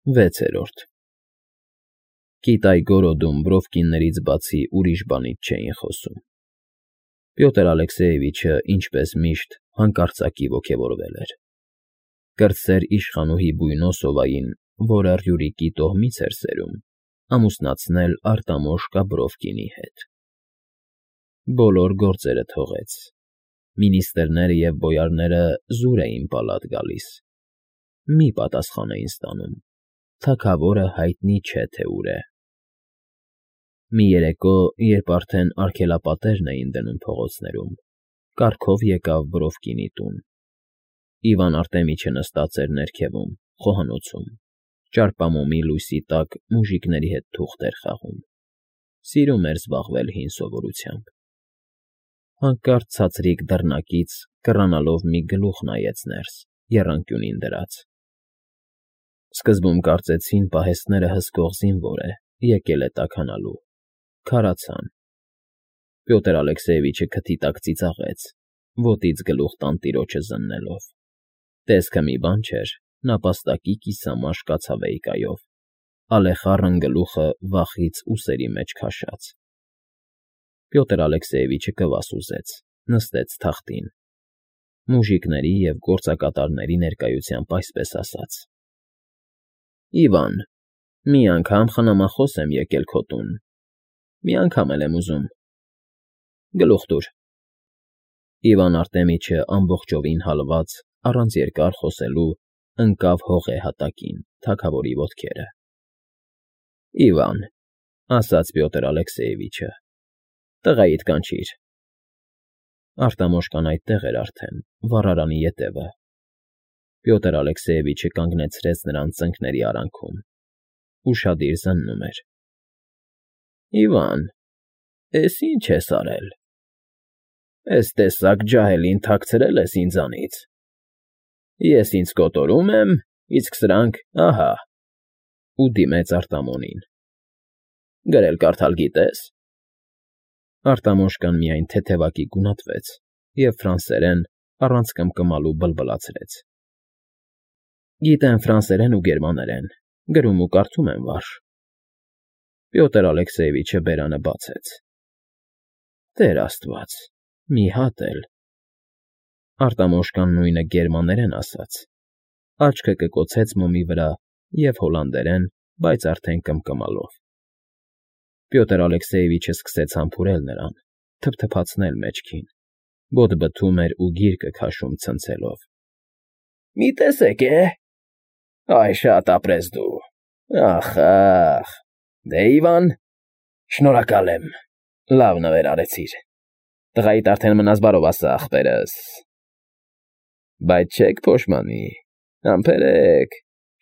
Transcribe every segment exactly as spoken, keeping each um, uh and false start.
Վեցերորդ Կիտայգորոդում Բրովկիններից բացի ուրիշ բանից չէին խոսում։ Պյոտր Ալեքսեևիչը, ինչպես միշտ, հանկարծակի ոգևորվել էր։ Կրտսեր իշխանուհի Բույնոսովային, որը Ռյուրիկի տոհմից էր սերում, ամուսնացնել Արտամոշկա Բրովկինի հետ։ Բոլոր գործերը թողեց։ Մինիստրները և բոյարները զուր էին պալատ գալիս։ Մի պատասխան էին ստանում. թագավորը հայտնի չէ, թե ուր է։ Մի երեկո, երբ արդեն արգելապատերն էին դնում փողոցներում, կառքով եկավ Բրովկինի տուն։ Իվան Արտեմիչը նստած էր ներքևում, խոհանոցում, ճարպամոմի լույսի տակ մուժիկների հետ թուղթ էր խաղում։ Սիրում էր զբաղվել հին սովորությամբ։ Հանկարծ ցածրիկ դռնակից կռանալով մի գլուխ նայեց ներս, եռանկյունին դրած։ Սկզբում կարծեցին պահեստները հսկող զինվոր է, եկել է տաքանալու։ Քարացան։ Պյոտր Ալեքսեևիչը քթի տակ ծիծաղեց, ոտից գլուխ տանտիրոջը զննելով։ Տեսքը մի բան չէր, նապաստակի կիսամաշ կացավեյկայով, ալեխառն գլուխը վախից ուսերի մեջ քաշած։ Պյոտր Ալեքսեևիչը կվաս ուզեց, նստեց թախտին։ Մուժիկների և գործակատարների ներկայությամբ այսպես ասաց. Իվան, մի անգամ խնամախոս եմ եկել քո տուն, մի անգամ էլ եմ ուզում։ Գլուխ տուր։ Իվան Արտեմիչը ամբողջովին հալված, առանց երկար խոսելու, ընկավ հողե հատակին, թագավորի ոտքերը։ Իվան, ասաց Պյոտր Ալեքսեևիչը, տղայիդ կանչիր։ Արտամոշկան այդտեղ էր արդեն, վառարանի ետևը։ Պյոտր Ալեքսեևիչը կանգնեցրեց նրան ծնկների արանքում։ Ուշադիր զննում էր։ Իվան, էս ի՞նչ ես արել։ Էս տեսակ ջահելին թաքցրել ես ինձանից։ Ես ինձ կոտորում եմ, իսկ սրանք՝ ահա… Ու դիմեց Արտամոնին։ Գրել֊կարդալ գիտե՞ս։ Արտամոշկան միայն թեթևակի գունատվեց և ֆրանսերեն, առանց կմկմալու բլբլացրեց. Գիտեմ ֆրանսերեն ու գերմաներեն, գրում ու կարդում եմ վարժ։ Պյոտր Ալեքսեևիչը բերանը բացեց։ Տեր Աստված, մի հատ էլ… Արտամոշկան նույնը գերմաներեն ասաց, աչքը կկոցեց մոմի վրա և հոլանդերեն, բայց արդեն կմկմալով։ Պյոտր Ալեքսեևիչը սկսեց համբուրել նրան, թփթփացնել մեջքին, բոտ֊բթում էր ու գիրկը քաշում ցնցելով։ Մի տեսեք է… Այ շատ ապրես դու… Ախ, ախ… Դե, Իվան, շնորհակալ եմ, լավ նվեր արեցիր… Տղայիդ արդեն մնաս բարով ասա, ախպերս… Բայց չեք փոշմանի, համբերեք,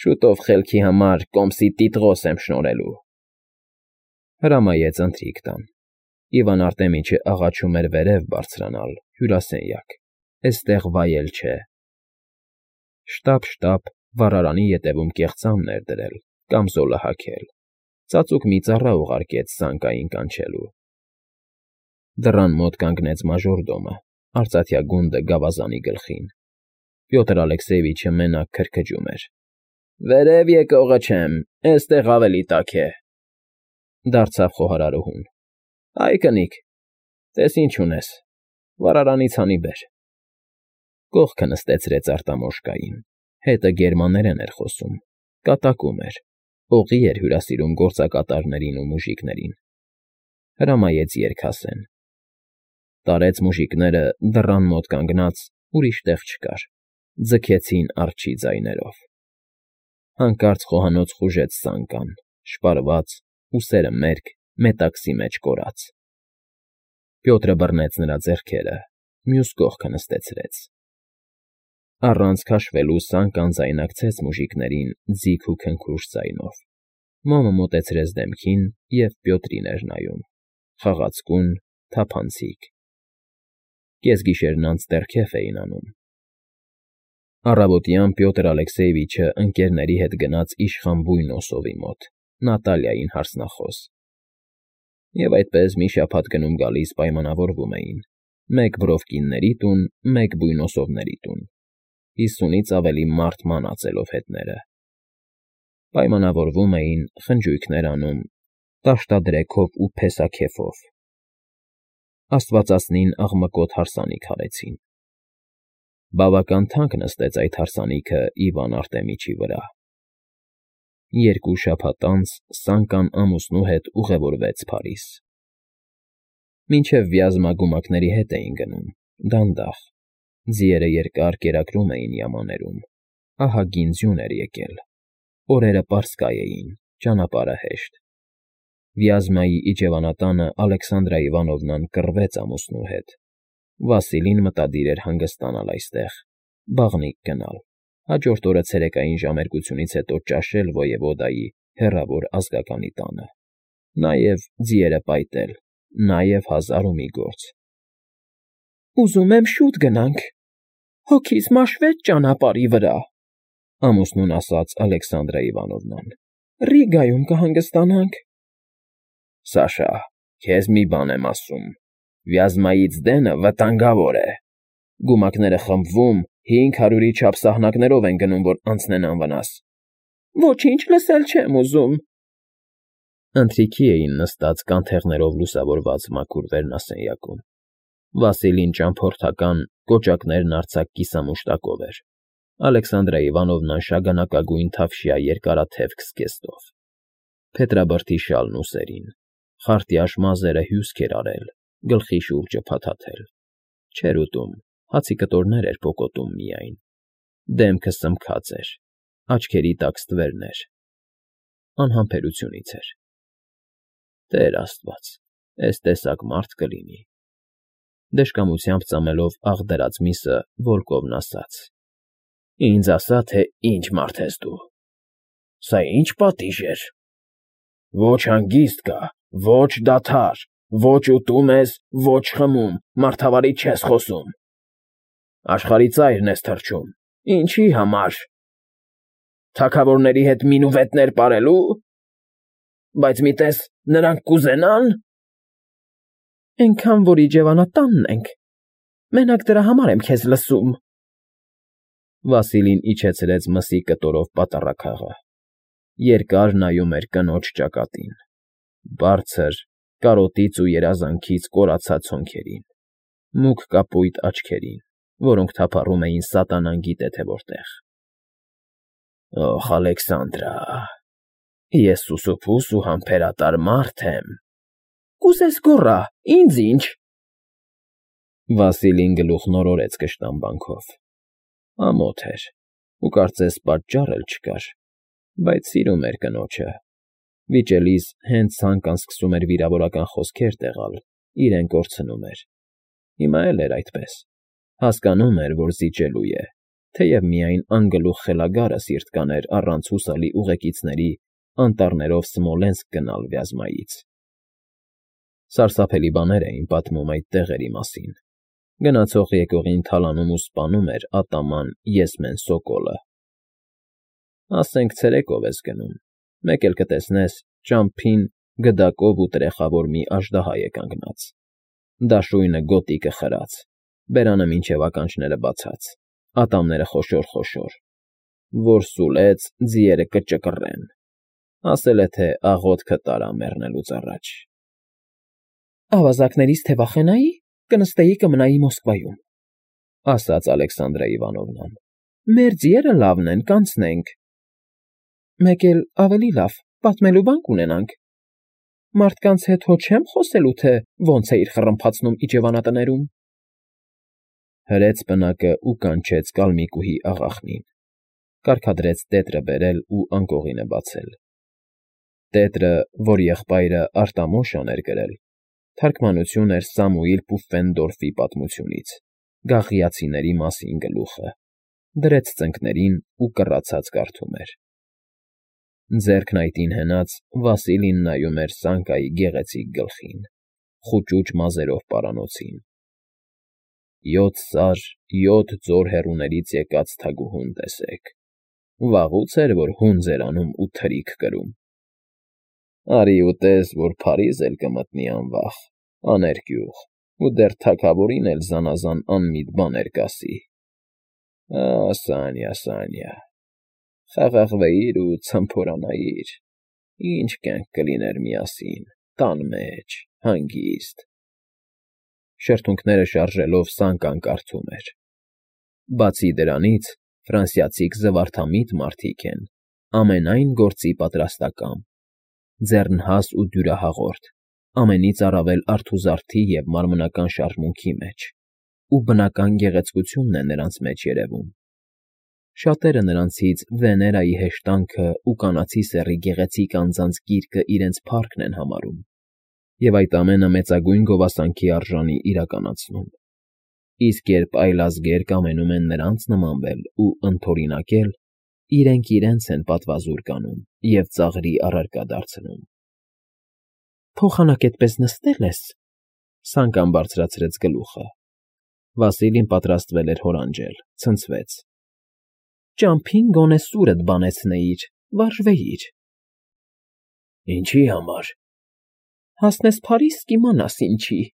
շուտով խելքի համար կոմսի տիտղոս եմ շնորհելու… Հրամայեց ընթրիք տան։ Իվան Արտեմիչը աղաչում էր վերև բարձրանալ, հյուրասենյակ, էստեղ վայել չէ։ Շտապ֊շտապ վառարանի ետևում կեղծամն էր դրել, կամզոլը հագել, ծածուկ մի ծառա ուղարկեց սանկային կանչելու։ Դռան մոտ կանգնեց մաժորդոմը, արծաթյա գունդը գավազանի գլխին։ Պյոտր Ալեքսեևիչը մենակ քրքջում էր. Վերև եկողը չեմ, էստեղ ավելի տաք է… Դարձավ խոհարարուհուն. Այ կնիկ, տես ինչ ունես, վառարանից հանի բեր։ Կողքը նստեցրեց Արտամոշկային, հետը գերմաներեն էր խոսում, կատակում էր, օղի էր հյուրասիրում գործակատարներին ու մուժիկներին։ Հրամայեց երգ ասեն։ Տարեց մուժիկները, դռան մոտ կանգնած, ուրիշ տեղ չկար, ձգեցին արջի ձայներով։ Հանկարծ խոհանոց խուժեց սանկան, շպարված, ուսերը մերկ, մետաքսի մեջ կորած։ Պյոտրը բռնեց նրա ձեռքերը, մյուս կողքը նստեցրեց։ Առանց քաշվելու սանկան ձայնակցեց մուժիկներին ձիգ ու քնքուշ ձայնով։ Մոմը մոտեցրեց դեմքին և Պյոտրին էր նայում, խաղացկուն, թափանցիկ։ Կեսգիշերն անց դեռ քեֆ էին անում։ Առավոտյան Պյոտր Ալեքսեևիչը ընկերների հետ գնաց իշխան Բույնոսովի մոտ, Նատալիային հարսնախոս։ Եվ այդպես մի շաբաթ գնում֊գալիս պայմանավորվում էին. մեկ Բրովկինների տուն, մեկ Բույնոսովների տուն, հիսունից ավելի մարդ մանածելով հետները։ Պայմանավորվում էին, խնջույքներ անում, դաշտադրեքով ու փեսաքեֆով, աստվածածնին աղմկոտ հարսանիք արեցին։ Բավական թանկ նստեց այդ հարսանիքը Իվան Արտեմիչի վրա։ Երկու շաբաթ անց Սանկան ամուսնու հետ ուղևորվեց Փարիզ։ Մինչև Վյազմա գումակների հետ էին գնում, դանդաղ, ձիերը երկար կերակրում էին յամաներում, ահագին ձյուն էր եկել, օրերը պարսկայ էին, ճանապարհը հեշտ։ Վյազմայի իջևանատանը Ալեքսանդրա Իվանովնան կռվեց ամուսնու հետ։ Վասիլին մտադիր էր հանգստանալ այստեղ, բաղնիք գնալ, հաջորդ օրը ցերեկային ժամերկությունից հետո ճաշել ոևոդայի հեռավոր ազգականի տանը, նաև ձիերը պայտել, նաև հազար ու մի գործ։ Ուզում եմ շուտ գնանք, հոգիս մաշվեց ճանապարհի վրա, ամուսնուն ասաց Ալեքսանդրա Իվանովնան, Ռիգայում կհանգստանանք։ Սաշա, քեզ մի բան եմ ասում, Վյազմայից դենը վտանգավոր է, գումակները խմբվում, հինգ հարյուրի չափ սահնակներով են գնում, որ անցնեն անվնաս։ Ոչինչ լսել չեմ ուզում։ Ընթրիքի էին նստած կանթեղներով լուսավորված մաքուր վերնասենյակում։ Վասիլին ճամփորդական, կոճակներն արձակ կիսամուշտակով էր, Ալեքսանդրա Իվանովնան շագանակագույն թավշյա երկարաթև քսկեստով, փետրաբրդի շալն ուսերին, խարտյաշ մազերը հյուսք էր արել, գլխի շուրջը փաթաթել, չէր ուտում, հացի կտորներ էր պոկոտում միայն, դեմքը սմքած էր, աչքերի տակ ստվերներ, անհամբերությունից էր։ Տեր Աստված, էս տեսակ մարդ կլինի։ Դժկամությամբ ծամելով աղ դրած միսը Վոլկովն ասաց. Ինձ ասա, թե ինչ մարդ ես դու։ Սա ինչ պատիժ էր։ Ոչ հանգիստ կա, ոչ դադար, ոչ ուտում ես, ոչ խմում, մարդավարի չես խոսում։ Աշխարհի ծայրն ես թռչում, ինչի համար։ Թագավորների հետ մինուվետներ պարելու։ Բայց մի տես նրանք կուզենա՞ն։ Էնքան, որ իջևանատանն ենք, մենակ դրա համար եմ քեզ լսում։ Վասիլին իջեցրեց մսի կտորով պատառաքաղը, երկար նայում էր կնոջ ճակատին, բարձր, կարոտից ու երազանքից կորացած հոնքերին, մուգ կապույտ աչքերին, որոնք թափառում էին սատանան գիտե թե որտեղ։ Օխ, Ալեքսանդրա, ես սուսուփուս ու համբերատար մարդ եմ։ Կուզես գոռա, ինձ ինչ։ Վասիլին գլուխ նորորեց կշտամբանքով։ Ամոթ էր, ու կարծես պատճառ էլ չկար, բայց սիրում էր կնոջը։ Վիճելիս հենց Սանկան սկսում էր վիրավորական խոսքեր տեղալ, իրեն կորցնում էր։ Հիմա էլ էր այդպես։ Հասկանում էր, որ զիջելու է, թեև միայն անգլուխ խելագարը սիրտ կաներ առանց հուսալի ուղեկիցների անտառներով Սմոլենսկ գնալ Վյազմայից։ Սարսափելի բաներ էին պատմում այդ տեղերի մասին։ Գնացող եկողին թալանում ու սպանում էր ատաման Եսմեն Սոկոլը։ Ասենք ցերեկով ես գնում, մեկ էլ կտեսնես ճամփին գդակով ու տրեխավոր մի աժդահա է կանգնած, դաշույնը գոտիկը խրած, բերանը մինչև ականջները բացած, ատամները խոշոր֊խոշոր, որ սուլեց, ձիերը կճկռեն, ասել է, թե աղոթքը տարա մեռնելուց առաջ։ Ավազակներից թե վախենայի, կնստեի կմնայի Մոսկվայում, ասաց Ալեքսանդրա Իվանովնան։ Մեր ձիերը լավն են, կանցնենք։ Մեկ էլ ավելի լավ, պատմելու բան կունենանք։ Մարդկանց հետ հո չեմ խոսելու, թե ոնց է իր խռմփացնում իջևանատներում։ Հրեց պնակը ու կանչեց Կալմիկուհի աղախնին, կարգադրեց տետրը բերել ու անկողինը բացել։ Տետրը, որ եղբայրը Արտամոշան էր գրել, թարգմանություն էր Սամուիլ Պուֆֆենդորֆի պատմությունից, գաղիացիների մասին գլուխը, դրեց ծնկներին ու կռացած կարդում էր։ Ձեռքն այդին հենած Վասիլին նայում էր Սանկայի գեղեցիկ գլխին, խուճուճ մազերով պարանոցին։ Յոթ սար, յոթ ձոր հեռուներից եկած թագուհուն տեսեք, վաղուց էր, որ հունձ էր անում ու թրիք կրում։ Արի ուտես, որ Փարիզ էլ կմտնի անվախ, աներկյուղ, ու դեռ թագավորին էլ զանազան անմիտ բաներ կասի։ Ա, Սանյա, Սանյա, Խաղաղվեիր ու ցմփորանայիր, ինչ կյանք կլիներ միասին, տան մեջ, հանգիստ… Շրթունքները շարժելով Սանկան կարդում էր. Բացի դրանից, ֆրանսիացիք զվարթամիտ մարդիկ են, ամենայն գործի պատրաստակամ, ձեռնհաս ու դյուրահաղորդ, ամենից առավել արթուզարդի և մարմնական շարժմունքի մեջ, ու բնական գեղեցկությունն է նրանց մեջ երևում. շատերը նրանցից Վեներայի հեշտանքը ու կանացի սեռի գեղեցիկ անձանց գիրկը իրենց փառքն են համարում և այդ ամենը մեծագույն գովասանքի արժանի իրականացնում, իսկ երբ այլազգեր կամենում են նրանց նմանվել ու ընդօրինակել, իրենք իրենց են պատվազուր կանում և ծաղրի առարկա դարձնում։ ֊ Փոխանակ էդպես նստե՞լ ես,֊ Սանկան բարձրացրեց գլուխը. Վասիլին պատրաստվել էր հորանջել, ցնցվեց։ ֊ Ճամփին գոնե սուրդ բանեցնեիր, վարժվեիր։ ֊ Ինչի՞ համար։ ֊ Հասնես Փարիզ, կիմանաս ինչի։ ֊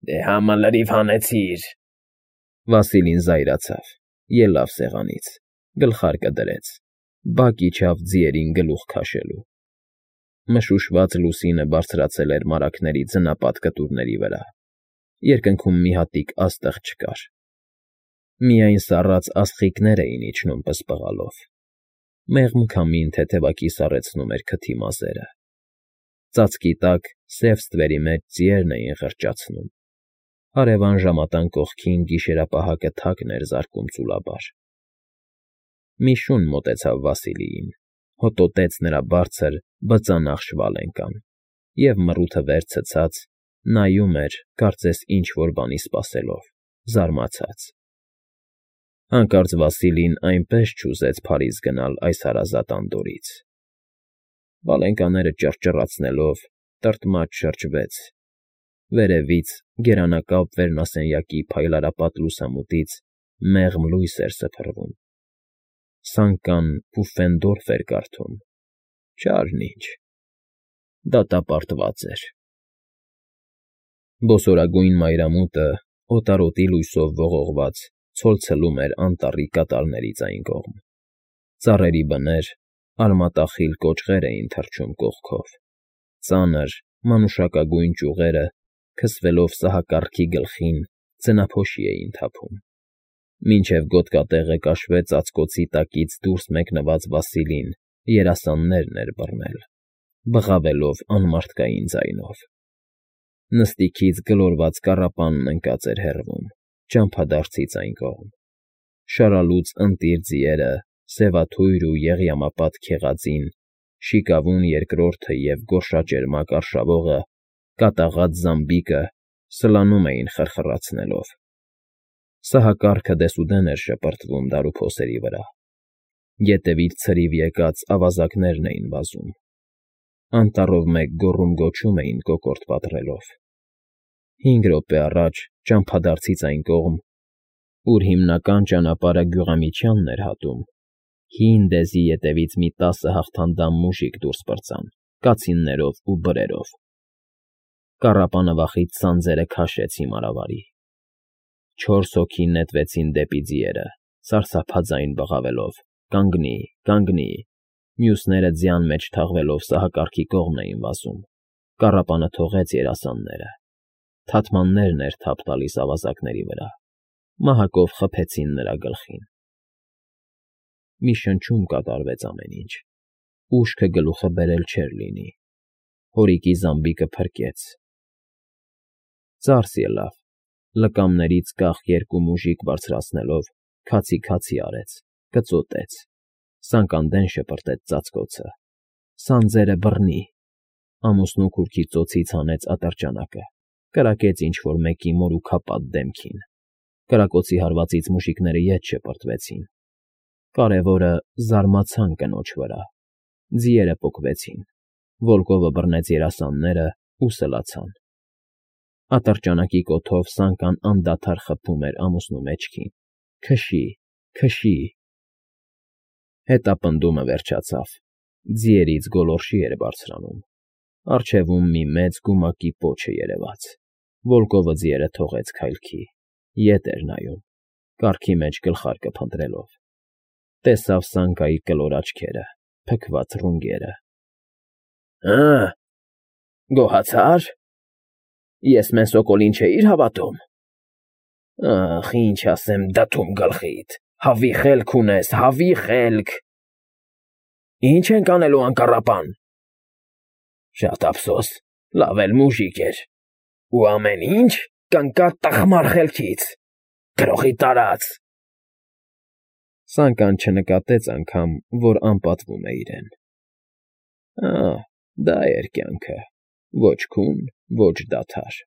Դե համը լրիվ հանեցիր…֊ Վասիլին զայրացավ, ելավ սեղանից, գլխարկը դրեց, բակ իջավ ձիերին գլուխ քաշելու… Մշուշված լուսինը բարձրացել էր մարագների ձնապատ կտուրների վրա, երկնքում մի հատիկ աստղ չկար, միայն սառած աստղիկներ էին իջնում պսպղալով, մեղմ քամին թեթևակի սառեցնում էր քթի մազերը, ծածկի տակ սև ստվերի մեջ ձիերն էին խրճացնում, հարևան ժամատան կողքին գիշերապահակը թակն էր զարկում ծուլաբար… Մի շուն մոտեցավ Վասիլիին, հոտոտեց նրա բարձր, բծանաղ շվալենկան և, մռութը վեր ցցած, նայում էր, կարծես ինչ֊որ բանի սպասելով, զարմացած… Հանկարծ Վասիլին այնպես չուզեց Փարիզ գնալ այս հարազատ անդորրից… Վալենկաները ճռճռացնելով, տրտմած շրջվեց, վերևից, գերանակապ վերնասենյակի փայլարապատ լուսամուտից մեղմ լույս էր սփռվում… Սանկան Պուֆֆենդորֆ էր կարդում, չարն ինչ… Դատապարտված էր… Բոսորագույն մայրամուտը, օտարոտի լույսով ողողված, ցոլցվում էր անտառի կատարներից այն կողմ, ծառերի բներ, արմատախիլ կոճղեր էին թռչում կողքով, ծանր, մանուշակագույն ճյուղերը, քսվելով սահակառքի գլխին, ձնափոշի էին թափում… Մինչև գոտկատեղը կաշվե ծածկոցի տակից դուրս մեկնված Վասիլին երասաններն էր բռնել, բղավելով անմարդկային ձայնով… Նստիքից գլորված կառապանն ընկած էր հեռվում, ճամփադարձից այն կողմ, շարալուծ ընտիր ձիերը, սևաթույր ու եղյամապատ քեղածին, շիկավուն երկրորդը և գորշաճերմակ արշավողը, կատաղած զամբիկը սլանում էին խրխռացնելով… Սահակառքը դեսուդեն էր շպրտվում դարուփոսերի վրա, ետևից ցրիվ եկած ավազակներն էին վազում, անտառով մեկ գոռում֊գոչում էին կոկորդ պատռելով… Հինգ րոպե առաջ ճամփադարձից այն կողմ, ուր հիմնական ճանապարհը Գյուղամիջյանն էր հատում, հին դեզի ետևից մի տասը հաղթանդամ մուժիկ դուրս պրծան կացիններով ու բրերով… Կառապանը վախից սանձերը քաշեց հիմարավարի… Չորս հոգի նետվեցին դեպի ձիերը, սարսափաձայն բղավելով. «Կանգնի, կանգնի», մյուսները ձյան մեջ թաղվելով սահակառքի կողմն էին վազում… Կառապանը թողեց երասանները, թաթմաններն էր թափ տալիս ավազակների վրա, մահակով խփեցին նրա գլխին… Մի շնչում կատարվեց ամեն ինչ, ուշքը գլուխը բերել չէր լինի, հորիկի զամբիկը փրկեց… Ծարս ելավ, լկամներից կախ երկու մուժիկ բարձրացնելով, քացի֊քացի արեց, կծոտեց, սանկանդեն շպրտեց ծածկոցը… Սանձերը բռնի… Ամուսնու քուրքի ծոցից հանեց ատրճանակը, կրակեց ինչ֊որ մեկի մորուքապատ դեմքին… Կրակոցի հարվածից մուժիկները ետ շպրտվեցին… Կարևորը, զարմացան կնոջ վրա… Ձիերը պոկվեցին, վոլկովը բռնեց երասաններն ու սլացան… Ատրճանակի կոթով Սանկան անդադար խփում էր ամուսնու մեջքին. «Քշի, քշի…»… Հետապնդումը վերջացավ, ձիերից գոլորշի էր բարձրանում, առջևում մի մեծ գումակի պոչը երևաց… Վոլկովը ձիերը թողեց քայլքի, ետ էր նայում, կառքի մեջ գլխարկը փնտրելով… Տեսավ Սանկայի կլոր աչքերը, փքված ռունգերը։ ֊ Ա՞, գոհացա՞ր։ Ես մենսոկոլին չէի՞ր հավատում։ Ախ, ինչ ասեմ, դդում գլխիդ, հավի խելք ունես, հավի խելք… Ի՞նչ ենք անելու, անկառապան… Շատ ափսոս, լավ էլ մուժիկ էր… Ու ամեն ինչ կընկա տխմար խելքից… Գրողի տարած… Սանկան չնկատեց անգամ, որ անպատվում է իրեն։ Ահ, դա էր կյանքը, ոչ քուն, ոչ դադար։